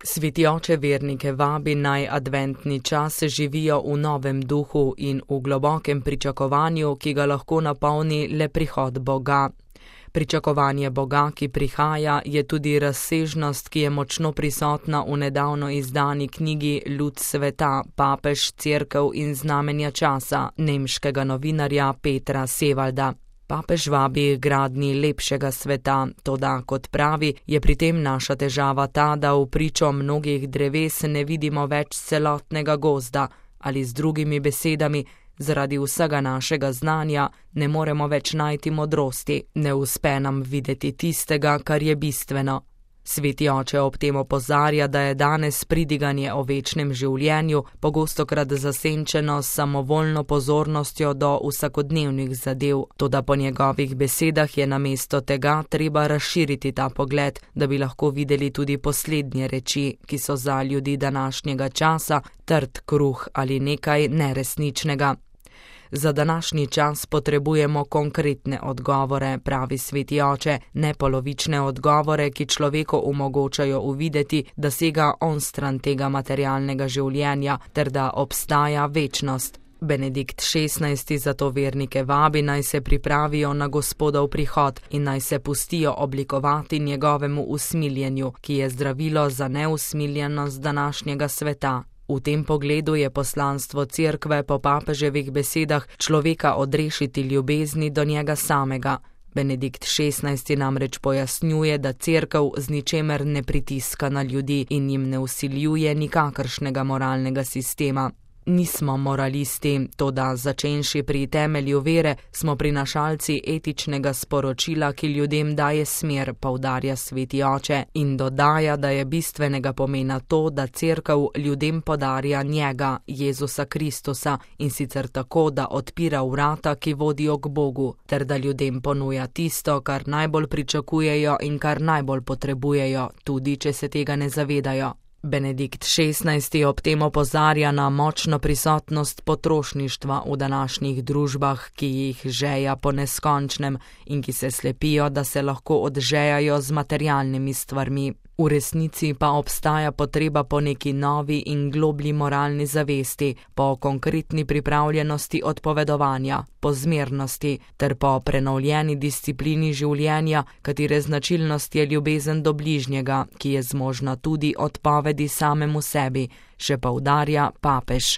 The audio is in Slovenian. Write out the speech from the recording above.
Sveti oče vernike vabi, naj adventni čas živijo v novem duhu in v globokem pričakovanju, ki ga lahko napolni le prihod Boga. Pričakovanje Boga, ki prihaja, je tudi razsežnost, ki je močno prisotna v nedavno izdani knjigi Lud sveta, papež, cerkev in znamenja časa nemškega novinarja Petra Sevalda. Papež vabi k gradnji lepšega sveta, toda, kot pravi, je pri tem naša težava ta, da v pričo mnogih dreves ne vidimo več celotnega gozda, ali z drugimi besedami, zaradi vsega našega znanja ne moremo več najti modrosti, ne uspe nam videti tistega, kar je bistveno. Sveti oče ob tem opozarja, da je danes pridiganje o večnem življenju pogostokrat zasenčeno s samovoljno pozornostjo do vsakodnevnih zadev, toda po njegovih besedah je namesto tega treba razširiti ta pogled, da bi lahko videli tudi poslednje reči, ki so za ljudi današnjega časa trd kruh ali nekaj neresničnega. Za današnji čas potrebujemo konkretne odgovore, pravi sveti oče, ne polovične odgovore, ki človeku omogočajo uvideti, da sega onstran tega materialnega življenja ter da obstaja večnost. Benedikt XVI zato vernike vabi, naj se pripravijo na Gospodov prihod in naj se pustijo oblikovati njegovemu usmiljenju, ki je zdravilo za neusmiljenost današnjega sveta. V tem pogledu je poslanstvo cerkve po papeževih besedah človeka odrešiti ljubezni do njega samega. Benedikt XVI namreč pojasnjuje, da cerkev z ničemer ne pritiska na ljudi in jim ne vsiljuje nikakršnega moralnega sistema. Nismo moralisti, toda začenši pri temelju vere, smo prinašalci etičnega sporočila, ki ljudem daje smer, poudarja sveti oče, in dodaja, da je bistvenega pomena to, da cerkev ljudem podarja njega, Jezusa Kristusa, in sicer tako, da odpira vrata, ki vodijo k Bogu, ter da ljudem ponuja tisto, kar najbolj pričakujejo in kar najbolj potrebujejo, tudi če se tega ne zavedajo. Benedikt XVI ob tem opozarja na močno prisotnost potrošništva v današnjih družbah, ki jih žeja po neskončnem in ki se slepijo, da se lahko odžejajo z materialnimi stvarmi. V resnici pa obstaja potreba po neki novi in globlji moralni zavesti, po konkretni pripravljenosti odpovedovanja, po zmernosti ter po prenovljeni disciplini življenja, katere značilnost je ljubezen do bližnjega, ki je zmožna tudi odpovedi samemu sebi, še poudarja papež.